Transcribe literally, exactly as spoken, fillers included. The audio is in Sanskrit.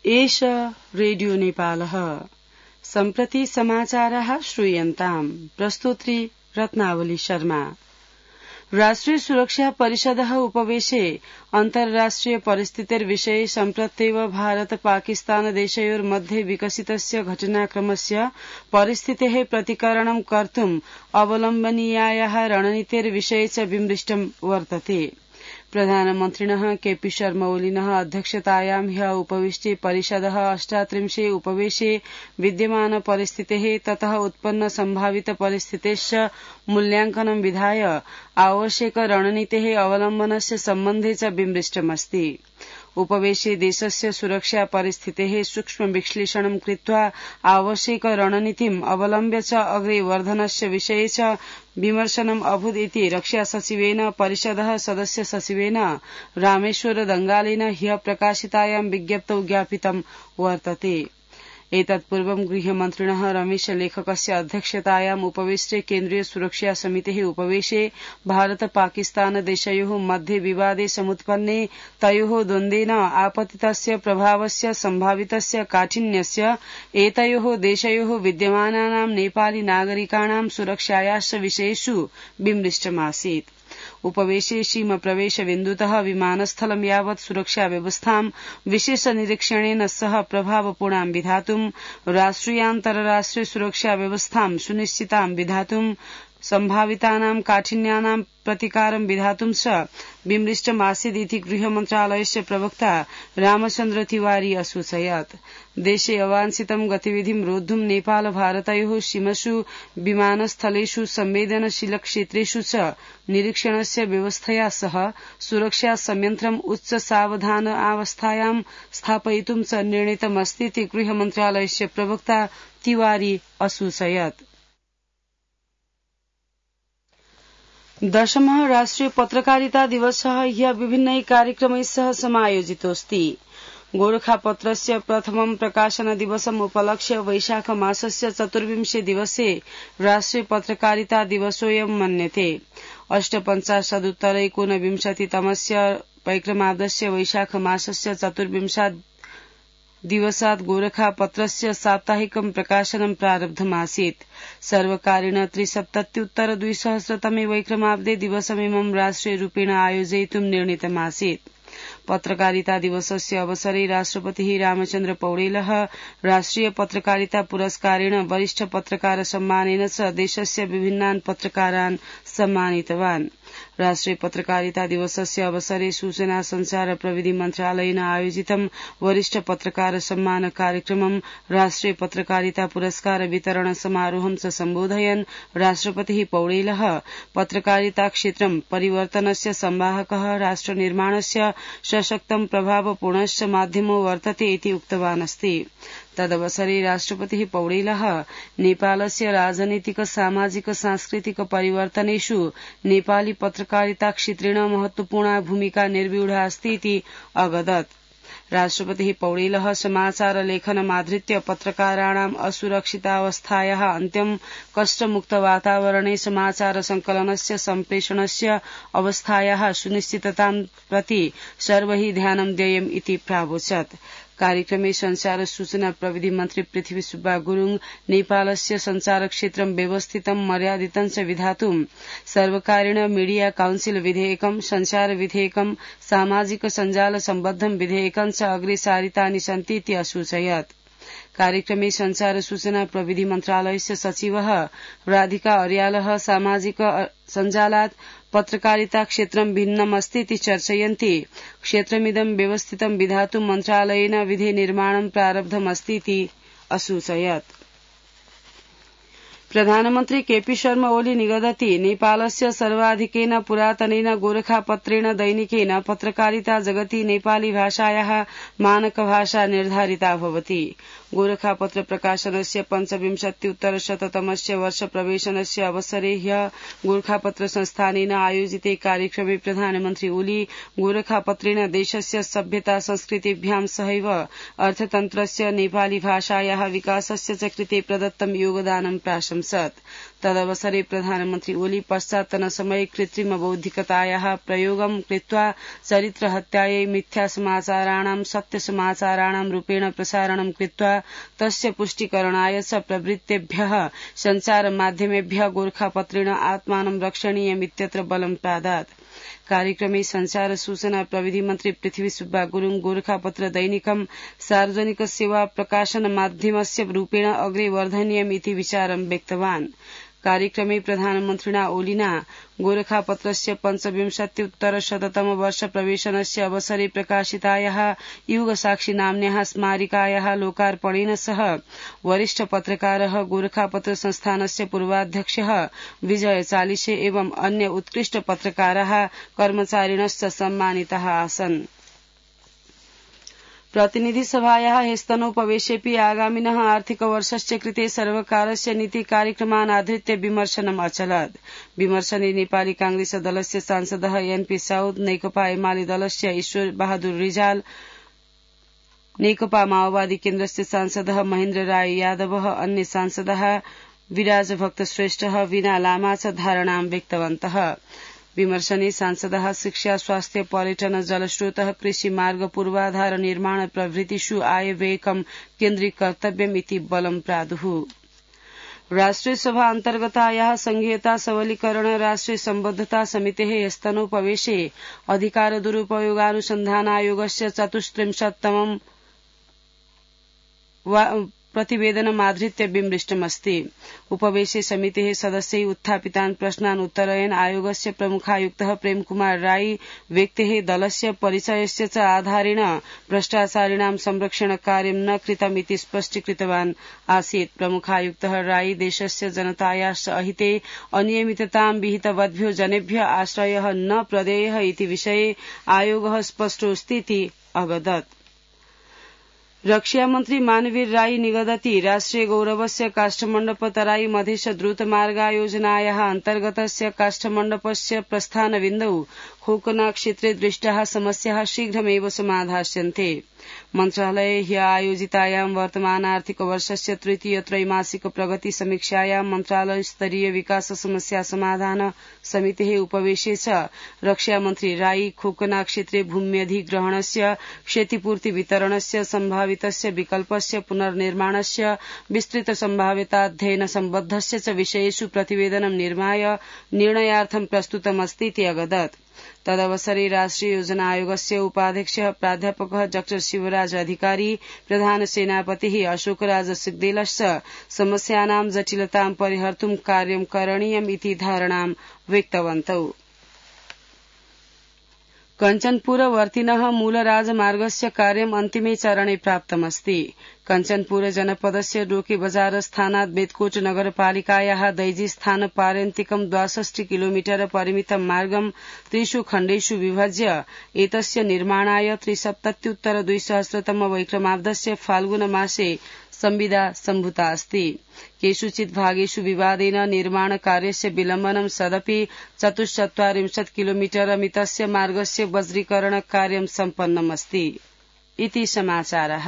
एष रेडियो नेपालः। सम्प्रति समाचाराः श्रूयन्ताम्। प्रस्तोत्री रत्नावली शर्मा। राष्ट्रिय सुरक्षा परिषदः उपवेशे अन्ताराष्ट्रिय परिस्थितिर्विषये सम्प्रत्येव भारत पाकिस्तान देशयोर्मध्ये विकसितस्य घटनाक्रमस्य परिस्थितेः प्रतिकरणं कर्तुम् अवलम्बनीयायाः रणनीतिर्विषये च विमृष्टं वर्तते। प्रधानमन्त्रिणः केपी शर्मा ओलीनः अध्यक्षतायां ह्यः उपविष्टे परिषदः अष्टात्रिंशे उपवेशे विद्यमान परिस्थितेः ततः उत्पन्न सम्भावित परिस्थितेश्च मूल्यांकनं विधाय आवश्यक रणनीतेः अवलम्बनस्य सम्बन्धे च विमृष्टमस्ति। उपवेशे देशस्य सुरक्षा परिस्थितेः सूक्ष्म विश्लेषणं कृत्वा आवश्यक रणनीतिम् अवलम्ब्य च अग्रे वर्धनस्य विषये च विमर्शनम् अभूत् इति रक्षा सचिवेन परिषदः सदस्य सचिवेन रामेश्वर दंगालेन ह्यः प्रकाशितायां विज्ञप्तौ ज्ञापितं वर्तते। एतत्पूर्वं गृहमन्त्रिणः रमेश लेखकस्य अध्यक्षतायाम् उपविष्टे केन्द्रीय सुरक्षा समितेः उपवेशे भारत पाकिस्तान देशयोः मध्ये विवादे समुत्पन्ने तयोः द्वन्द्वेन आपतितस्य प्रभावस्य सम्भावितस्य काठिन्यस्य एतयोः देशयोः विद्यमानानां नेपाली नागरिकाणां सुरक्षायाश्च विषयेषु विमृष्टमासीत्। उपवेशे सीमा प्रवेश बिन्दुतः विमानस्थलं यावत् सुरक्षा व्यवस्थां विशेष निरीक्षणेन सह प्रभावपूर्णां विधातुं राष्ट्रियान्तरराष्ट्रिय सुरक्षा व्यवस्थां सुनिश्चितां विधातुं सम्भावितानां काठिन्यानां प्रतिकारं विधातुं च विमृष्टमासीदिति गृहमन्त्रालयस्य प्रवक्ता रामचन्द्र तिवारी असूचयत्। देशे अवांछितं गतिविधिं रोद्धुं नेपाल भारतयोः सीमसु विमानस्थलेषु संवेदनशील क्षेत्रेषु च निरीक्षणस्य व्यवस्थया सह सुरक्षा संयन्त्रम् उच्च सावधान अवस्थायां स्थापयितुं च निर्णीतमस्तीति गृहमन्त्रालयस्य प्रवक्ता तिवारी असूचयत्। दशमः राष्ट्रिय पत्रकारिता दिवसः ह्यः विभिन्नैः कार्यक्रमैः सह समायोजितोऽस्ति। गोरखापत्रस्य प्रथमं प्रकाशन दिवसम् उपलक्ष्य वैशाख मासस्य चतुर्विंशे दिवसे राष्ट्रिय पत्रकारिता दिवसोऽयं मन्यते। अष्टपञ्चाशदुत्तर एकोनविंशतितमस्य वैक्रमाब्दस्य वैशाख मासस्य चतुर्विंशात् दिवसात् गोरखापत्रस्य साप्ताहिकं प्रकाशनं प्रारब्धमासीत्। सर्वकारेण त्रिसप्तत्युत्तर द्विसहस्रतमे वैक्रमाब्दे दिवसमिमं राष्ट्रियरूपेण आयोजयितुं निर्णीतमासीत्। पत्रकारिता दिवसस्य अवसरे राष्ट्रपतिः रामचन्द्र पौडेलः राष्ट्रिय पत्रकारिता पुरस्कारेण वरिष्ठ पत्रकार सम्मानेन च देशस्य विभिन्नान् पत्रकारान् सम्मानितवान्। राष्ट्रिय पत्रकारिता दिवसस्य अवसरे सूचना संचार प्रविधि मन्त्रालयेन आयोजितं वरिष्ठ पत्रकार सम्मान कार्यक्रमं राष्ट्रिय पत्रकारिता पुरस्कार वितरण समारोहं च सम्बोधयन् राष्ट्रपतिः पौडेलः पत्रकारिता क्षेत्रं परिवर्तनस्य संवाहकः राष्ट्रनिर्माणस्य सशक्तं प्रभावपूर्णश्च माध्यमो वर्तते इति उक्तवान् अस्ति। तदवसरे राष्ट्रपतिः पौडेलः नेपालस्य राजनीतिक सामाजिक सांस्कृतिक परिवर्तनेषु नेपाली पत्रकारिता क्षेत्रेण महत्वपूर्णा भूमिका निर्व्यूढा अस्ति इति अवदत्। राष्ट्रपतिः पौडेलः समाचार लेखनमाधृत्य पत्रकाराणाम् असुरक्षितावस्थायाः अन्त्यं कष्टमुक्त वातावरणे समाचार संकलनस्य सम्प्रेषणस्य अवस्थायाः सुनिश्चिततां प्रति सर्वैः ध्यानं देयम् इति प्रावोचत्। कार्यक्रमे संचार सूचना प्रविधि मन्त्री पृथ्वी सुब्बा गुरुङ नेपालस्य संचार क्षेत्रं व्यवस्थितं मर्यादितं च विधातुं सर्वकारेण मीडिया काउन्सिल विधेयकं संचार विधेयकं सामाजिक सञ्जाल सम्बद्धं विधेयकं च अग्रे सारितानि सन्ति इति असूचयत्। कार्यक्रमे संचार सूचना प्रविधि मन्त्रालयस्य सचिवः राधिका अर्यालः सामाजिक सञ्जालात् पत्रकारिता क्षेत्रं भिन्नमस्ति इति चर्चयन्ति क्षेत्रमिदं व्यवस्थितं विधातुं मन्त्रालयेन विधि निर्माणं प्रारब्धमस्ति इति असूचयत्। प्रधानमन्त्री केपी शर्मा ओली निगदति नेपालस्य सर्वाधिकेन पुरातनेन गोरखापत्रेण दैनिकेन पत्रकारिता जगति नेपाली भाषायाः मानकभाषा निर्धारिता भवति। गोरखापत्र प्रकाशनस्य पञ्चविंशत्युत्तरशततमस्य वर्ष प्रवेशनस्य अवसरे ह्यः गोरखापत्र संस्थानेन आयोजिते कार्यक्रमे प्रधानमन्त्री ओली गोरखापत्रेण देशस्य सभ्यता संस्कृतिभ्यां सहैव अर्थतन्त्रस्य नेपाली भाषायाः विकासस्य च कृते प्रदत्तं योगदानं प्राशंसत्। तदवसरे प्रधानमन्त्री ओली पश्चात्तनसमये कृत्रिमबौद्धिकतायाः प्रयोगं कृत्वा चरित्रहत्यायै मिथ्यासमाचाराणां सत्यसमाचाराणां रूपेण प्रसारणं कृत्वा तस्य पुष्टिकरणाय च प्रवृत्तेभ्यः सञ्चारमाध्यमेभ्यः गोरखापत्रेण आत्मानं रक्षणीयमित्यत्र बलं प्रादात्। कार्यक्रमे संचार सूचना प्रविधि मन्त्री पृथ्वी सुब्बा गुरूङ गोरखापत्र दैनिकं सार्वजनिक सेवा प्रकाशन माध्यमस्य रूपेण अग्रे वर्धनीयमिति विचारं व्यक्तवान्। कार्यक्रमे प्रधानमन्त्रिणा ओलिना गोरखापत्रस्य पञ्चविंशत्युत्तरशततम वर्ष प्रवेशनस्य अवसरे प्रकाशितायाः युगसाक्षी नाम्न्याः स्मारिकायाः लोकार्पणेन सह वरिष्ठ पत्रकारः गोरखापत्र संस्थानस्य पूर्वाध्यक्षः विजय चालिसे एवं अन्य उत्कृष्ट पत्रकाराः कर्मचारिणश्च सम्मानिताः आसन्। प्रतिनिधिसभायाः ह्यस्तनोपवेशेऽपि आगामिनः आर्थिकवर्षस्य कृते सर्वकारस्य नीति कार्यक्रमान् आधृत्य विमर्शनम् अचलत्। विमर्शने नेपाली कांग्रेस दलस्य सांसदः एनपी साउद, नेकपा एमाले दलस्य ईश्वर बहादुर रिजाल, नेकपा माओवादी केन्द्रस्य सांसदः महेन्द्र राय यादवः, अन्य सांसदः विराज भक्त श्रेष्ठः, वीणा लामा च धारणां व्यक्तवन्तः। विमर्शने सांसदः शिक्षा, स्वास्थ्य, पर्यटन, जलस्रोतः, कृषि मार्ग, पूर्वाधार निर्माण प्रभृतिषु आयव्ययकं केन्द्रीकर्तव्यमिति बलं प्रादुः। राष्ट्रिय सभा अन्तर्गतायाः संघीयता सबलीकरण राष्ट्रिय सम्बद्धता समितेः ह्यस्तनोपवेशे अधिकार दुरुपयोगानुसन्धानायोगस्य चतुस्त्रिंशत्तमं प्रतिवेदनमाधृत्य विमृष्टमस्ति। उपवेशे समितेः सदस्यै उत्थापितान् प्रश्नान् उत्तरयन् आयोगस्य प्रमुखायुक्तः प्रेमकुमार राई व्यक्तेः दलस्य परिचयस्य च आधारेण भ्रष्टाचारिणां संरक्षणकार्यं न कृतमिति स्पष्टीकृतवान् आसीत्। प्रमुखायुक्तः राई देशस्य जनतायाश्च अहिते अनियमिततां विहितवद्भ्यो जनेभ्यः आश्रयः न प्रदेयः इति विषये आयोगः स्पष्टोऽस्तीति अवदत्। रक्षा मन्त्री मानवीर राई निगदति राष्ट्रिय गौरवस्य काष्ठमण्डप तराई मधेश द्रुतमार्गायोजनायाः अन्तर्गतस्य काष्ठमण्डपस्य प्रस्थानबिन्दौ खोकना क्षेत्रे दृष्टाः समस्याः शीघ्रमेव समाधास्यन्ते। मन्त्रालये ह्य आयोजितायां वर्तमान आर्थिक वर्षस्य तृतीय त्रैमासिक प्रगति समीक्षायां मन्त्रालय स्तरीय विकास समस्या समाधान समितेः उपवेशे च रक्षा मन्त्री राई खोकना क्षेत्रे भूम्यधिग्रहणस्य क्षतिपूर्ति वितरणस्य सम्भावितस्य विकल्पस्य पुनर्निर्माणस्य विस्तृत सम्भाव्यताध्ययन सम्बद्धस्य च विषयेषु प्रतिवेदनं निर्माय निर्णयार्थं प्रस्तुतमस्तीति अगदत्। तदवसरे राष्ट्रिय योजना आयोगस्य उपाध्यक्षः प्राध्यापकः डॉक्टर शिवराज अधिकारी, प्रधान सेनापतिः अशोकराज सिग्देलश्च समस्यानां जटिलतां परिहर्तुं कार्यं करणीयम् इति धारणां व्यक्तवन्तौ। कञ्चनपुरवर्तिनः मूलराजमार्गस्य कार्यम् अन्तिमे चरणे प्राप्तमस्ति। कञ्चनपुर जनपदस्य डोके बजार स्थानात् बेतकोट नगरपालिकायाः दैजी स्थान पार्यन्तिकं द्वाषष्टि किलोमीटर परिमितं मार्गं त्रिषु खण्डेषु विभज्य एतस्य निर्माणाय त्रिसप्तत्युत्तर द्विसहस्रतम वैक्रमाब्दस्य फाल्गुन मासे संविदा सम्भूता अस्ति। केषुचित् भागेषु विवादेन निर्माण कार्यस्य विलम्बनं सदपि चतुश्चत्वारिंशत् किलोमीटर मितस्य मार्गस्य वज्रीकरण कार्यं सम्पन्नमस्ति इति समाचारः।